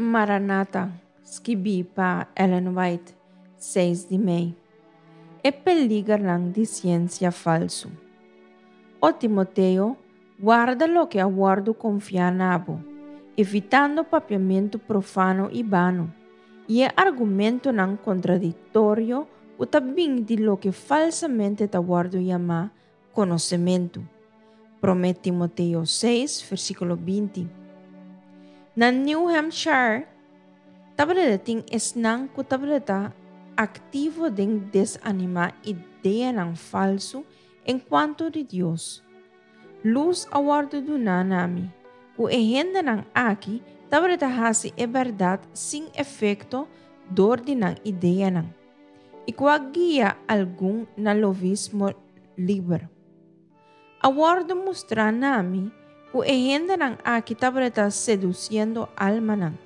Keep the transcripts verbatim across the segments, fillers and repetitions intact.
Maranata, skibí pa Ellen White, seis di mei. E peligernan di siensia falsu. O Timoteo, warda loke a wòrdu konfiá na bo, evitando papiamentu profano i bano, i e argumentonan kontradiktorio ku ta bin di loke falsamente ta wòrdu yamá konosementu. Promé Timoteo seis, versíkulo binti. Na New Hampshire, tabata tin esnan ku tabata aktivo den desanimá ideanan falsu enkuanto di Dios. Lus a wòrdu duná na mi, ku e hendenan aki tabata hasi e bèrdat sin efekto dor di nan ideanan, i ku a guia algun na lovismo liber. A wòrdu mustrá na mi ku e hendenan aki tabata sedusiendo almanan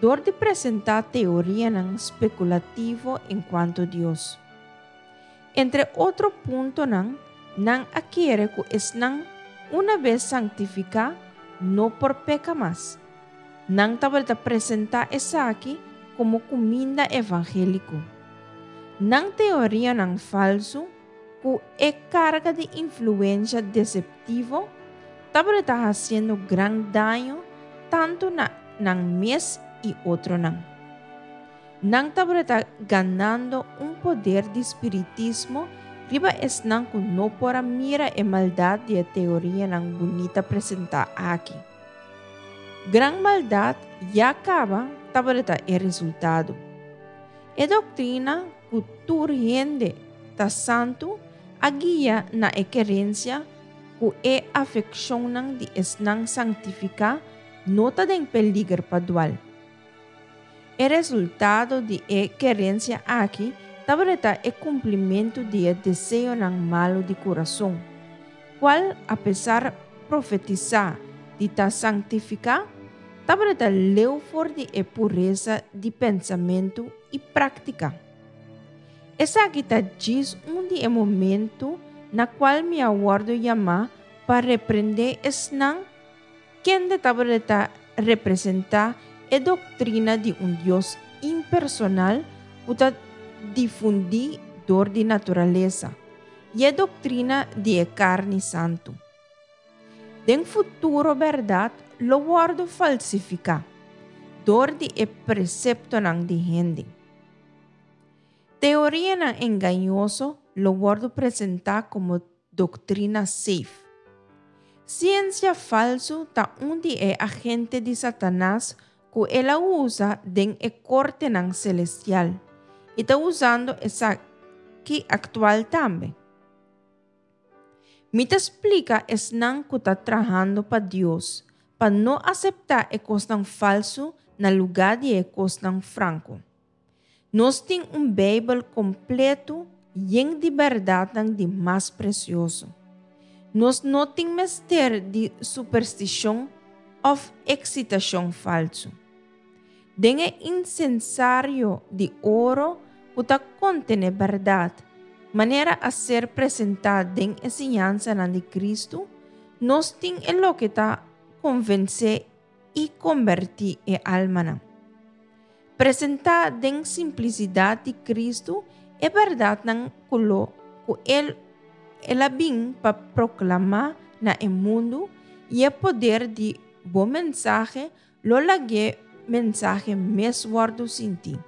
dor di presentá teorianan spekulativo enkuanto Dios. Entre otro puntonan, nan a kere ku esnan una bes sanktifiká no por peka mas. Nan tabata presentá esaki komo kuminda evangéliko. Nan teorianan falsu, ku e karga di influensia deseptivo, tabata hasiendo gran daño tantu na nan mes i otronan. Nan tabata ganando un poder di spiritismo riba esnan ku no por a mira e maldat di e teorianan bunita presentá aki. Gran maldat ya kaba tabata e resultado. E doktrina ku tur hende ta santu a guia na e kerensia ku e afekshonnan di esnan sanktifiká no ta den peliger pa dual. E resultado di e kerensia aki tabata e kumplimentu di e deseonan malu di kurason, kual apesar profetisá di ta sanktifiká, tabata leu for di e puresa di pensamentu i práktika. Esaki ta djis un di e momento na kual mi a wòrdu yamá pa reprendé esnan kende tabata representá e doktrina di un Dios impersonal ku ta difundí dor di naturalesa i e doktrina di e karni santu. Den futuro bèrdat lo wòrdu falsifiká dor di e preseptonan di hende. Teorianan engañoso lo wòrdu presentá komo doktrina safe. Siensia falsu ta un di e agente di Satanas ku el a usa den e kortenan selestial i ta usando esaki aktual tambe. Mi ta splika esnan ku ta trahando pa Dios pa no aseptá e kosnan falsu na lugá di e kosnan franko. Nos tin un Beibel kompleto yen di bèrdatnan di mas presioso. Nos no tin mester di superstishon òf eksitashon falsu. Den e insensario di oro ku ta kontené bèrdat, manera a ser presentá den e siñansanan di Kristu, nos tin e loke ta konvensé i kombertí e almanan. Presentá den simplisidat di Kristu e bèrdatnan ku lo ku el el a bin pa proklamá na e mundu i e poder di bo mensahe lo lag'é mensahe mes wòrdu sintí.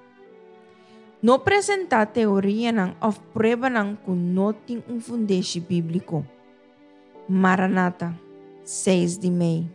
No presentá teorianan òf pruebanan ku no tin un fundeshi bíbliko. Maranata, seis di mei.